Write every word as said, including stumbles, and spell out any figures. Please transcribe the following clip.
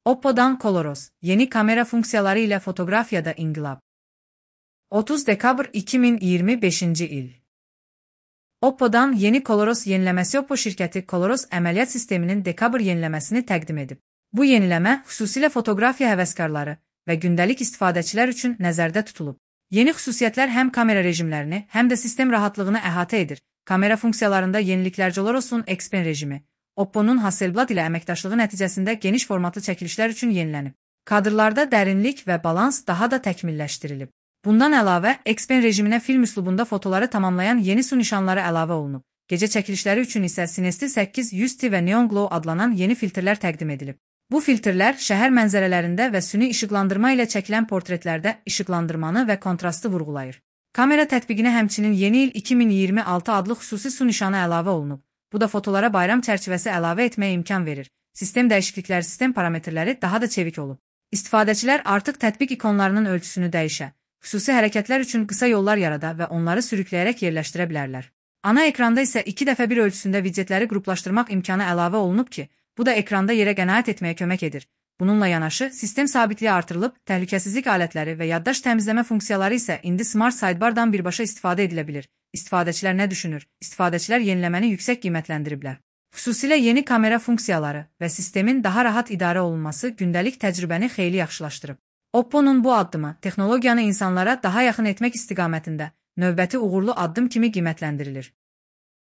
Oppo'dan ColorOS, yeni kamera funksiyaları ile fotoğrafyada inqilab. otuz dekabr iki min iyirmi beşinci il. Oppo'dan yeni ColorOS yeniləməsi Oppo şirkəti ColorOS əməliyyat sisteminin dekabr yeniləməsini təqdim edib. Bu yeniləmə xüsusilə fotoqrafiya həvəskarları və gündəlik istifadəçilər üçün nəzərdə tutulub. Yeni xüsusiyyətlər həm kamera rejimlərini, həm də sistem rahatlığını əhatə edir. Kamera funksiyalarında yeniliklər ColorOS'un Xpen rejimi, Oppo'nun Hasselblad ilə əməkdaşlığı nəticəsində geniş formatlı çəkilişlər üçün yenilənib. Kadrlarda dərinlik və balans daha da təkmilləşdirilib. Bundan əlavə, Xpen rejiminə film üslubunda fotoları tamamlayan yeni su nişanları əlavə olunub. Gecə çəkilişləri üçün isə Cinesti səkkiz yüz T və Neon Glow adlanan yeni filtrlər təqdim edilib. Bu filtrlər şəhər mənzərələrində və süni işıqlandırma ilə çəkilən portretlərdə işıqlandırmanı və kontrastı vurğulayır. Kamera tətbiqinə həmçinin Yeni il iki min iyirmi altı adlı xüsusi su nişanı əlavə olunub. Bu da fotolara bayram çərçivəsi əlavə etməyə imkan verir. Sistem dəyişiklikləri, sistem parametrləri daha da çevik olub. İstifadəçilər artıq tətbiq ikonlarının ölçüsünü dəyişə, xüsusi hərəkətlər üçün qısa yollar yarada və onları sürükləyərək yerləşdirə bilərlər. Ana ekranda isə iki dəfə bir ölçüsündə widgetləri qruplaşdırmaq imkanı əlavə olunub ki, bu da ekranda yerə qənaət etməyə kömək edir. Bununla yanaşı, sistem sabitliyi artırılıb, təhlükəsizlik alətləri və yaddaş təmizləmə funksiyaları isə indi Smart Sidebar'dan birbaşa istifadə edilə bilir. İstifadəçilər nə düşünür? İstifadəçilər yeniləməni yüksək qiymətləndiriblər. Xüsusilə yeni kamera funksiyaları və sistemin daha rahat idarə olunması gündəlik təcrübəni xeyli yaxşılaşdırıb. Oppo'nun bu addımı texnologiyanı insanlara daha yaxın etmək istiqamətində növbəti uğurlu addım kimi qiymətləndirilir.